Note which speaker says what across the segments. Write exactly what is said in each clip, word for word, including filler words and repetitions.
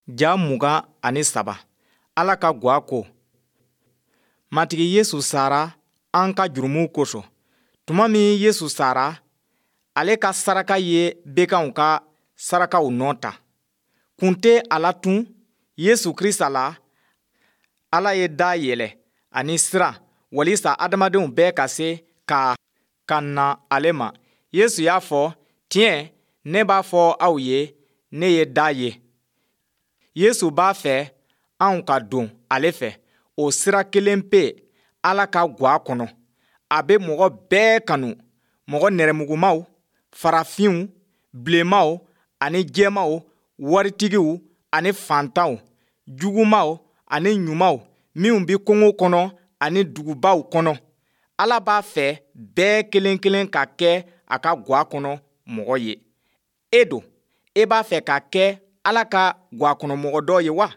Speaker 1: Ja mugan ani saba, Ala ka gwa ko. Matigi Yesu sara an ka jurumuw kosɔn. Tuma min Yesu sara, ale ka saraka ye bekanw ka sarakaw nɔ ta. Kun tɛ a la tun Yesu Krista la, Ala ye da yɛlɛ ani sira walisa adamadenw bɛɛ ka se ka ka na ale ma. Yesu y'a fɔ, tiɲɛ, ne b'a fɔ aw ye, ne ye da ye. Yesu b'a fɛ anw ka don ale fɛ o sira kelen pe Ala ka gwa kɔnɔ. A bɛ mɔgɔ bɛɛ kanu, mɔgɔ nɛrɛmugumaw, farafinw, bilenmaw ani jɛmaw, waritigiw ani faantanw, jugumaw ani ɲumanw, minw bɛ kungo kɔnɔ ani dugubaw kɔnɔ. Ala b'a fɛ bɛɛ kelen kelen ka kɛ a ka gwa kɔnɔ mɔgɔ ye. E don, e b'a fɛ ka kɛ Ala ka gwa kɔnɔ mɔgɔ dɔ ye wa?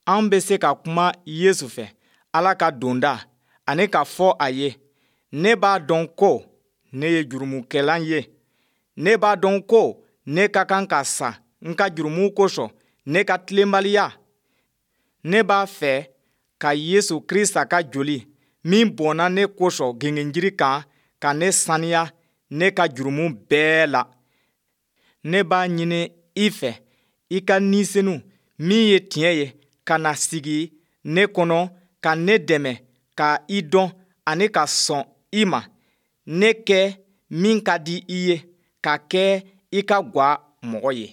Speaker 1: An bɛ se ka kuma Yesu fɛ, Ala ka donda, ani k'a fɔ a ye, ne b'a dɔn ko ne ye jurumukɛla ye. Ne b'a dɔn ko ne ka kan ka sa n ka jurumu kosɔn, ne ka tilenbaliya. Ne b'a fɛ ka Yesu Krista ka joli min bɔnna ne kosɔn gengenjiri kan ka ne saniya ne ka jurumu bɛɛ la. Ne b'a ɲini i fɛ i ka Ni Senu min ye tiɲɛ ye ka na sigi ne kɔnɔ ka ne dɛmɛ ka i dɔn ani ka sɔn i ma, ne kɛ min ka di i ye, ka kɛ i ka gwa mɔgɔ ye.